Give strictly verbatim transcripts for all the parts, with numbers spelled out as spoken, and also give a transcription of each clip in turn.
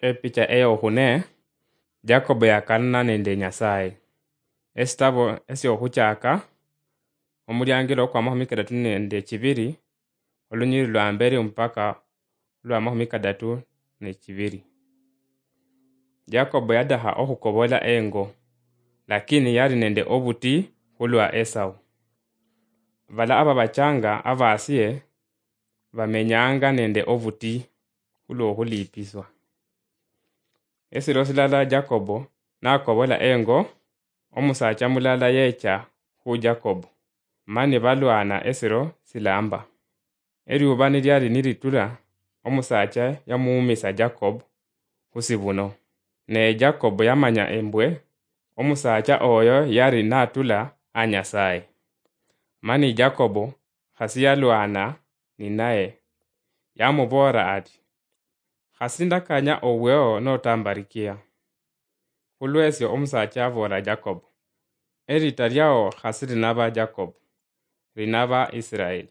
Epicha eyokhune, Jacob yakanana nende Nyasaye. Esitabo esyokhuchaka, omuliangilo kwa makhumi kadatu nende chibiri, olunyiriri lwa mberi mpaka lwa makhumi kadatu nechibiri. Jacob yadaha okhukobola engo, lakini yali nende obuti khulwa Esau. Bala ababachanga abasie bamenyanga nende obuti khulwokhulipiswa. Esiro silala Jacobo nakobola engo, omusacha mulala yecha khu Jacobo, mani balwana esiro silamba. Eriuba niliali nilitula, omusacha yamuumisa Jacob khusibuno. Ne Jacob yamanya embwe omusacha oyo yali natula a Nyasaye. Mani Jacob khasi yalwana ninaye, yamuboolera ati, "Khasi ndakanya oweo notambarikia." Khulwesyo omusacha aboola Jacob, "Erita liao khasi linaba Jacob, linaba Israeli."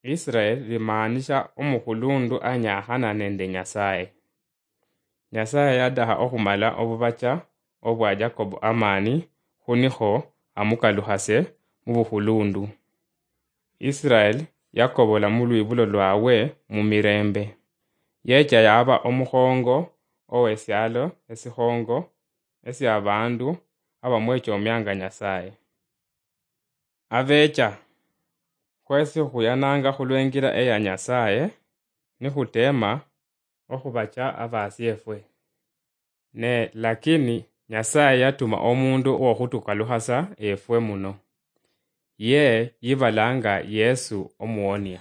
Israeli limaanisha omukhulundu anyakhana nende Nyasaye. Nyasaye yadaha okhumala obubacha obwa Jacob amani, khunikho amukalukhase mubukhulundu. Israel yakobola mulwibulo lwawe mumirembe. Yecha yaba omukhongo owesialo esikhongo esia abandu abamwechomianga Nyasaye. Abecha, khwesi khuyananga khulwengira eya Nyasaye, nikhutema okhubacha abasiefwe. Ne lakini Nyasaye yatuma omundu wokhutukalukhasa efwe muno. Ye yibalanga Yesu Omuwonia.